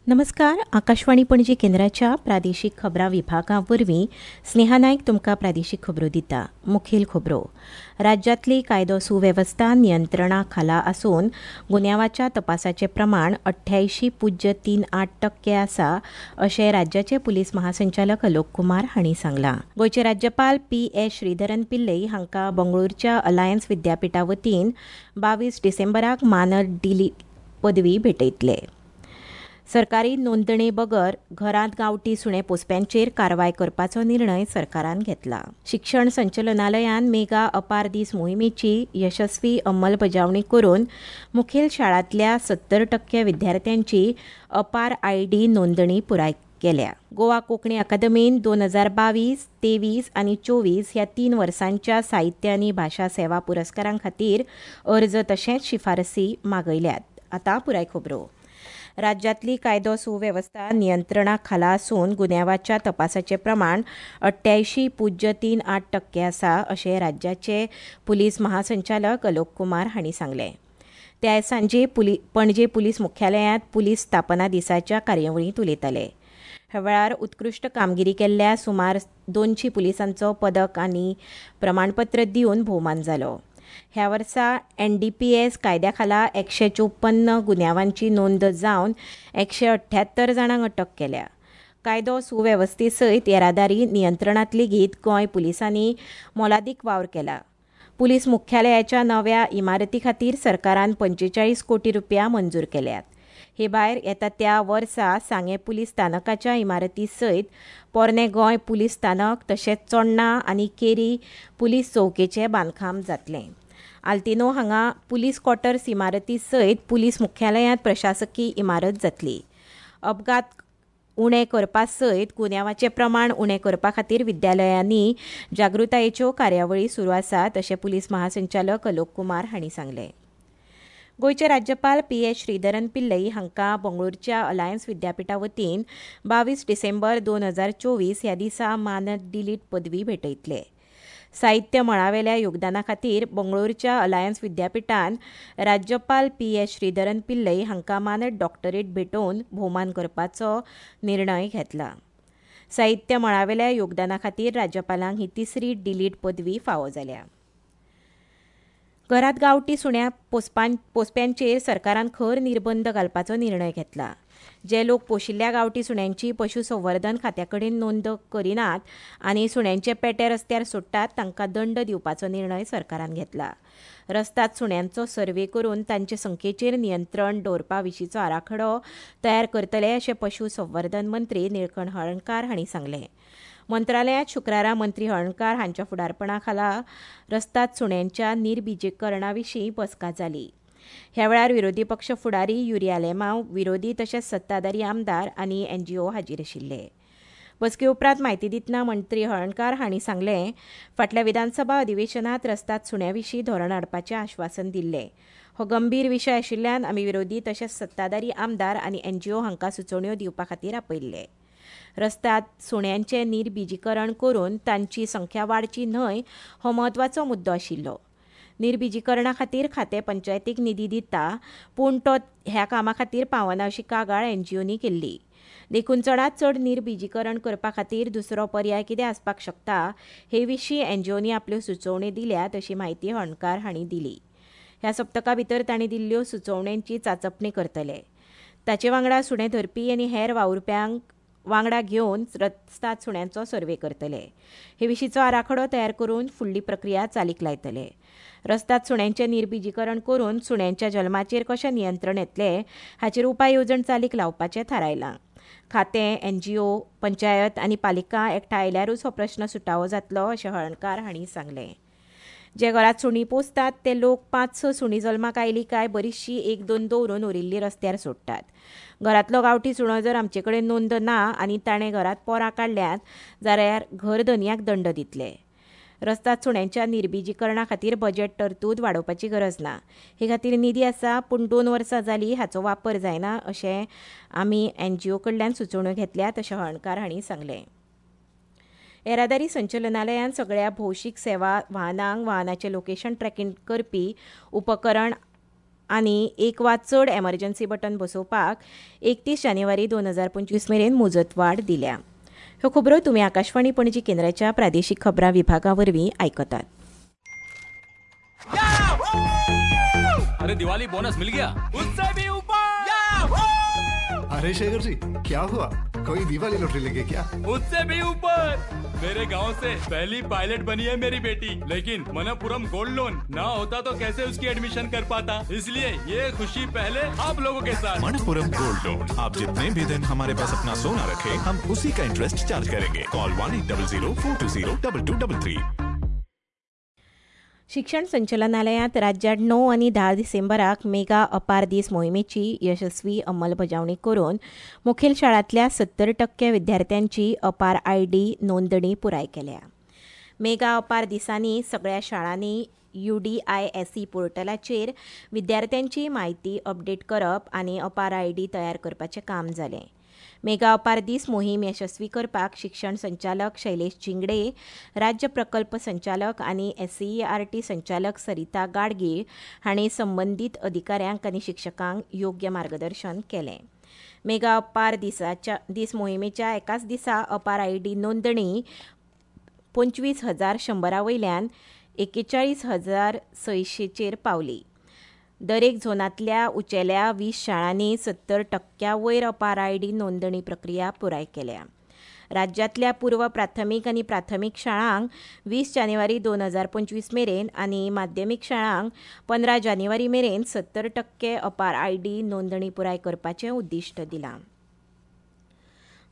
नमस्कार. आकाशवाणी पणजी केंद्राच्या प्रादेशीक खबरां विभागा वरवीं स्नेहा नायक तुमकां प्रादेशीक खबरो दिता. मुखेल खबरो. राज्यांतली कायदो सुवेवस्था नियंत्रणा खाला आसून गुन्यांवाच्या तपासाचें प्रमाण 88.38% आसा अशें राज्याचे पुलीस महासंचालक अलोक कुमार हांणी सांगलां. गोंयचे राज्यपाल पी एस श्रीधरन पिल्लई हांकां बंगळुरूच्या अलायन्स विद्यापिठा वतीन 22 डिसेंबराक मानद डिली पदवी भेटयतले. सरकारी नोंदणी बगर घरांत गांवठी सुणे पोसप्यांचेर कारवाय करपाचो निर्णय सरकारान घेतला. शिक्षण संचालनालयान मेगा अपार दीस मोहिमेची यशस्वी अंमलबजावणी करून मुखेल शाळांतल्या 70% विद्यार्थ्यांची अपार आयडी नोंदणी पुराय केल्या. गोवा कोंकणी अकादमीन 2022, 23 आनी 24 ह्या 3 वर्सांच्या साहित्य आनी भाशा सेवा पुरस्कारां खातीर अर्ज तशेंच शिफारसी मागयल्यात. आतां पुराय खबरो. राज्यांतली कायदो सुवेवस्था नियंत्रणा खाला आसून गुन्यांवाच्या तपासाचें प्रमाण 88.38% आसा अशें राज्याचे पुलीस महासंचालक अलोक कुमार हांणी सांगलें. ते आयज सांजे पणजे पुलीस मुख्यालयांत पुलीस स्थापना दिसाच्या कार्यावळींत उलयताले. ह्या वेळार उत्कृश्ट कामगिरी केल्ल्या सुमार 200 पुलिसांचो पदक आनी प्रमाणपत्र दिवन भोवमान जालो. ह्या वर्सा एनडीपीएस कायद्या खाला 154 गुन्यांवांची नोंद जावन 178 जाणांक अटक केल्या. कायदो सुवेवस्थे सयत येरादारी नियंत्रणांत लेगीत गोंय पुलिसांनी मोलादीक वावर केला. पुलीस मुख्यालयाच्या नव्या इमारती खातीर सरकारान 45 कोटी रुपया मंजूर केल्यात. हे भायर येता त्या वर्सा सांगें पुलीस स्थानकाच्या इमारती सयत पोरणें गोंय पुलीस स्थानक तशेंच चोडणा आनी केरी पुलीस चौकेचें बांदकाम जातलें. आल्तिनो हांगा पुलीस क्वॉर्टर्स इमारती सयत पुलीस मुख्यालयांत प्रशासकी इमारत जातली. अपघात उणे करपा सयत गुन्यांवाचें प्रमाण उणें करपा खातीर विद्यालयांनी जागृतायेच्यो कार्यावळी सुरू आसात अशें पुलीस महासंचालक अलोक कुमार हांणी सांगलें. गोंयचे राज्यपाल पी एस श्रीधरन पिल्लई हांकां बंगळुरूच्या अलायन्स विद्यापिठा वतीन 22 डिसेंबर 2024 ह्या दिसा मानद डिलीट पदवी भेटयतले. साहित्य मळावेल्या योगदाना खातीर बंगळुरूच्या अलायन्स विद्यापिठान राज्यपाल पी एस श्रीधरन पिल्लई हांकां मानद डॉक्टरेट भेटोवन भोवमान करपाचो निर्णय घेतला. साहित्य मळावेल्या योगदाना खातीर राज्यपालांक ही तिसरी डिलीट पदवी फावो जाल्या. घरांत गांवठी सुण्या पोसप्यांचेर सरकारान खर निर्बंध घालपाचो निर्णय घेतला. जे लोक पोशिल्ल्या गांवठी सुण्यांची पशुसंवर्धन खात्या कडेन नोंद करिनात आनी सुण्यांचे पेटे रस्त्यार सोडटात तांकां दंड दिवपाचो निर्णय सरकारान घेतला. रस्त्यात सुण्यांचो सर्वे करून तांचे संख्येचेर नियंत्रण दवरपा विशींचो आराखडो तयार करतले अशें पशुसंवर्धन मंत्री निळकंठ हळर्णकार हांणी सांगलें. मंत्रालयांत शुक्रारा मंत्री हळर्णकार हांच्या फुडारपणा खाला रस्ताद सुण्यांच्या निर्बिजीकरणा विशीं बसका जाली. ह्या वेळार विरोधी पक्ष फुडारी युरी आलेमांव, विरोधी तशेंच सत्ताधारी आमदार आनी एनजीओ हाजीर आशिल्ले. बसके उपरांत म्हायती दितना मंत्री हळर्णकार हांणी सांगलें, फाटल्या विधानसभा अधिवेशनांत रस्ताद सुण्यां विशीं धोरण हाडपाचें आश्वासन दिल्लें. हो गंभीर विशय आशिल्ल्यान आमी विरोधी तशेंच सत्ताधारी आमदार आनी एनजीओ हांकां सुचोवण्यो दिवपा खातीर आपयल्ले. रस्ताद सुण्यांचें निर्बिजीकरण करून तांची संख्या वाडची न्हय हो म्हत्वाचो मुद्दो आशिल्लो. निर्बिजीकरणा खातीर खातें पंचायतीक निधी दिता, पूण तो ह्या कामा खातीर पावना अशी कागाळ एनजीओनी केल्ली. देखून चडांत चड निर्बिजीकरण करपा खातीर दुसरो पर्याय कितें आसपाक शकता हे विशीं एनजीओनी आपल्यो सुचोवण्यो दिल्यात अशी म्हायती हळर्णकार हांणी दिली. ह्या सप्तका भितर तांणी दिल्ल्यो सुचोवण्यांची चाचपणी करतले. ताचे वांगडा सुणें धरपी आनी हेर वावुरप्यांक वांगडा घेवन रस्ताद सुण्यांचो सर्वे करतले. हे विशींचो आराखडो तयार करून फुडली प्रक्रिया चालीक लायतले. रस्ताद सुण्यांचें निर्बिजीकरण करून सुण्यांच्या जल्माचेर कशें नियंत्रण येतलें हाचेर उपाय येवजण चालीक लावपाचें थारायलां. खातें, एनजीओ, पंचायत आनी पालिका एकठांय आयल्यारूच हो प्रस्न सुटावो जातलो अशें हळर्णकार हांणी सांगलें. जे घरांत सुणीं पोसतात ते लोक 5-6 सुणीं जल्माक आयलीं काय बरीचशीं 1-2 दवरून उरिल्लीं रस्त्यार सोडटात. घरांतलो गांवठी सुणो जर आमचे कडेन नोंद ना आनी ताणें घरांत पोरां काडल्यांत जाल्यार घर धनयाक दंड दितले. रस्ताद सुण्यांच्या निर्बिजीकरणा खातीर बजेट तरतूद वाडोवपाची गरज ना. हे खातीर निधी आसा, पूण 2 वर्सां जालीं हाचो वापर जायना अशें आमी एनजीओ कडल्यान सुचोवण्यो घेतल्यात अशें हळर्णकार हांणी सांगलें. येरादारी संचालनालयान सगळ्या भौशीक सेवा वाहनांक वाहनाचें लोकेशन ट्रॅकिंग करपी उपकरण आनी एक वा चड एमर्जन्सी बटन बसोवपाक 31 जानेवारी 2025 मेरेन मुजतवाड दिल्या. ह्यो खबरो तुमी आकाशवाणी पणजी केंद्राच्या प्रादेशीक खबरां विभागा वरवीं आयकतात. अरे दिवाली बोनस मिल गया, उससे भी ऊपर. अरे शेखर जी क्या हुआ, कोई दिवाली लॉटरी लगी क्या? उससे भी ऊपर. मेरे गांव से पहली पायलट बनी है मेरी बेटी, लेकिन मनप्पुरम गोल्ड लोन ना होता तो कैसे उसकी एडमिशन कर पाता, इसलिए ये खुशी पहले आप लोगों के साथ. मनप्पुरम गोल्ड लोन, आप जितने भी दिन हमारे पास अपना सोना रखे हम उसी का इंटरेस्ट चार्ज करेंगे. कॉल 1800 420 2233. शिक्षण संचालनालयांत राज्यात 9 आनी 10 डिसेंबराक मेगा अपार दीस मोहिमेची यशस्वी अंमलबजावणी करून मुखेल शाळांतल्या 70% विद्यार्थ्यांची अपार आयडी नोंदणी पुराय केल्या. मेगा अपार दिसांनी सगळ्या शाळांनी UDISE पोर्टलाचेर विद्यार्थ्यांची म्हायती अपडेट करप आनी अपार आयडी तयार करपाचें काम जालें. मेगा अपार दीस मोहीम यशस्वी करपाक शिक्षण संचालक शैलेश झिंगडे, राज्य प्रकल्प संचालक आनी SCERT संचालक सरिता गाडगीळ हांणी संबंदीत अधिकाऱ्यांक आनी शिक्षकांक योग्य मार्गदर्शन केलें. मेगा अपार दीस मोहिमेच्या एकाच दिसा अपार आयडी नोंदणी 25,100 वयल्यान 41,600 पावली. दरेक झोनांतल्या उंचेल्या 20 शाळांनी 70% वयर अपार आयडी नोंदणी प्रक्रिया पुराय केल्या. राज्यांतल्या पूर्व प्राथमीक आनी प्राथमीक शाळांक 20 जानेवारी 2025 मेरेन आनी माध्यमीक शाळांक 15 जानेवारी मेरेन 70% अपार आयडी नोंदणी पुराय करपाचें उद्दिश्ट दिलां.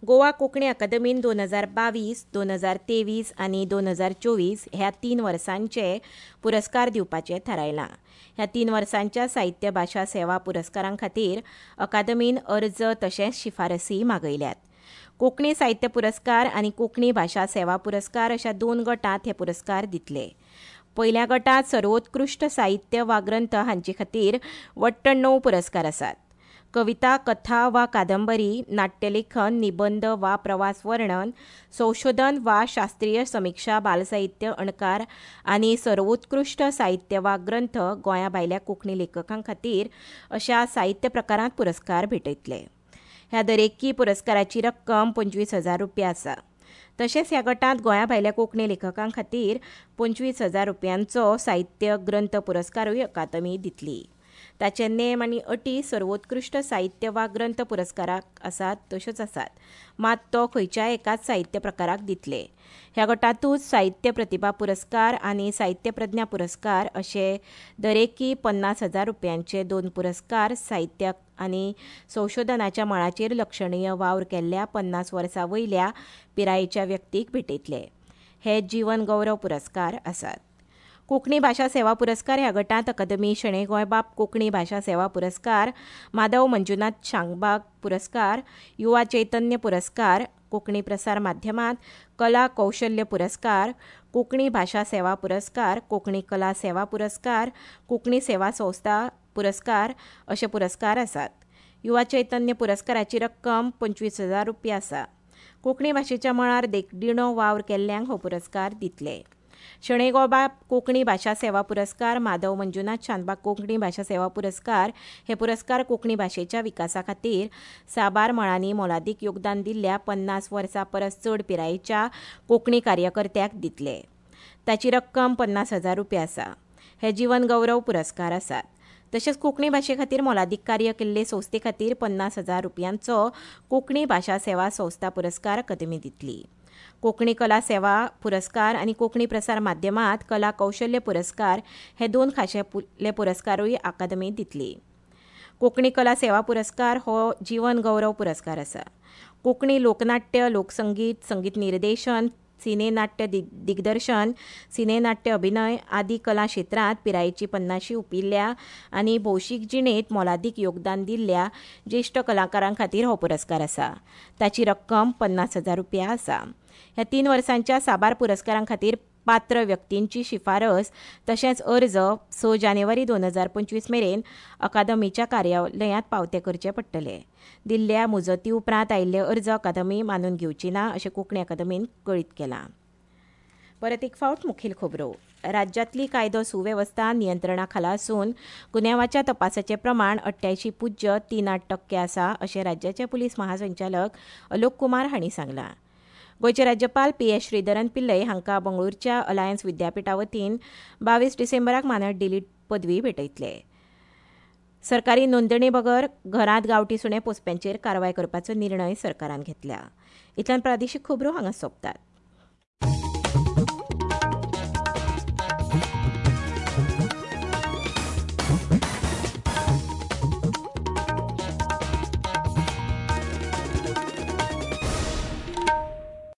गोवा कोंकणी अकादमीन 2022, 2023 आनी 2024 ह्या 3 वर्सांचे पुरस्कार दिवपाचें थारायलां. ह्या 3 वर्सांच्या साहित्य भाशा सेवा पुरस्कारां खातीर अकादमीन अर्ज तशेंच शिफारसी मागयल्यात. कोंकणी साहित्य पुरस्कार आनी कोंकणी भाशा सेवा पुरस्कार अशा 2 गटांत हे पुरस्कार दितले. पयल्या गटांत सर्वोत्कृश्ट साहित्य वा ग्रंथ हांचे खातीर वट्ट 9 पुरस्कार आसात. कविता, कथा वा कादंबरी, नाट्यलेखन, निबंद वा प्रवास वर्णन, संशोधन वा शास्त्रीय समिक्षा, बालसाहित्य, अणकार आनी सर्वोत्कृश्ट साहित्य वा ग्रंथ गोंया भायल्या कोंकणी लेखकां खातीर अशा साहित्य प्रकारांत पुरस्कार भेटयतले. ह्या दरेकी पुरस्काराची रक्कम 25,000 रुपया आसा. तशेंच ह्या गटांत गोंया भायल्या कोंकणी लेखकां खातीर 25,000 रुपयांचो साहित्य ग्रंथ पुरस्कारूय अकादमी दितली. ताचे नेम आनी अटी सर्वोत्कृश्ट साहित्य वा ग्रंथ पुरस्काराक आसात तश्योच आसात, मात तो खंयच्याय एकाच साहित्य प्रकाराक दितले. ह्या गटांतूच साहित्य प्रतिभा पुरस्कार आनी साहित्य प्रज्ञा पुरस्कार अशे दरेकी 50,000 रुपयांचे 2 पुरस्कार साहित्य आनी संशोधनाच्या मळाचेर लक्षणीय वावर केल्ल्या 50 वर्सां वयल्या पिरायेच्या व्यक्तीक भेटयतले. हे जीवन गौरव पुरस्कार आसात. कोंकणी भाशा सेवा पुरस्कार ह्या गटांत अकादमी शणै गोंयबाब कोंकणी भाशा सेवा पुरस्कार, माधव मंजुनाथ शांगबाग पुरस्कार, युवा चैतन्य पुरस्कार, कोंकणी प्रसार माध्यमांत कला कौशल्य पुरस्कार, कोंकणी भाशा सेवा पुरस्कार, कोंकणी कला सेवा पुरस्कार, कोंकणी सेवा संस्था पुरस्कार अशे पुरस्कार आसात. युवा चैतन्य पुरस्काराची रक्कम 25,000 रुपया आसा. कोंकणी भाशेच्या मळार देखदिणो वावर केल्ल्यांक हो पुरस्कार दितले. शणै गोंयबाब कोंकणी भाशा सेवा पुरस्कार, माधव मंजुनाथ शानबाग कोंकणी भाशा सेवा पुरस्कार हे पुरस्कार कोंकणी भाशेच्या विकासा खातीर साबार मळांनी मोलादीक योगदान दिल्ल्या 50 वर्सां परस चड पिरायेच्या कोंकणी कार्यकर्त्याक दितले. ताची रक्कम 50,000 रुपया आसा. हे जीवन गौरव पुरस्कार आसात. तशेंच कोंकणी भाशे खातीर मोलादीक कार्य केल्ले संस्थे खातीर 50,000 रुपयांचो कोंकणी भाशा सेवा संस्था पुरस्कार अकादमी दितली. कोंकणी कला सेवा पुरस्कार आनी कोंकणी प्रसार माध्यमांत कला कौशल्य पुरस्कार हे 2 खाशेले पुरस्कारूय अकादमी दितली. कोंकणी कला सेवा पुरस्कार हो जीवन गौरव पुरस्कार आसा. कोंकणी लोकनाट्य, लोकसंगीत, संगीत निर्देशन, सिनेनाट्य दिग्दर्शन, सिनेनाट्य अभिनय आदी कला क्षेत्रांत पिरायेची 50 हुपिल्ल्या आनी भौशीक जिणेंत मोलादीक योगदान दिल्ल्या ज्येश्ठ कलाकारां खातीर हो पुरस्कार आसा. ताची रक्कम 50,000 रुपया आसा. ह्या 3 वर्सांच्या साबार पुरस्कारां खातीर पात्र व्यक्तींची शिफारस तशेंच अर्ज 6 जानेवारी 2025 मेरेन अकादमीच्या कार्यालयांत पावते करचे पडटले. दिल्ल्या मुजती उपरांत आयिल्ले अर्ज अकादमी मानून घेवची ना अशें कोंकणी अकादमीन कळीत केलां. परत एक फावट मुखेल खबरो. राज्यांतली कायदो सुवेवस्था नियंत्रणा खाला आसून गुन्यांवाच्या तपासाचें प्रमाण 88.38% आसा अशें राज्याचे पुलीस महासंचालक अलोक कुमार हांणी सांगलां. गोंयचे राज्यपाल पी.एस. श्रीधरन पिल्लई हांकां बंगळुरूच्या अलायन्स विद्यापिठा वतीन 22 डिसेंबराक मानद डिलीट पदवी भेटयतले. सरकारी नोंदणी बगर घरांत गांवठी सुणें पोसप्यांचेर कारवाय करपाचो निर्णय सरकारान घेतला. इतल्यान प्रादेशीक खबरो हांगा सोंपतात.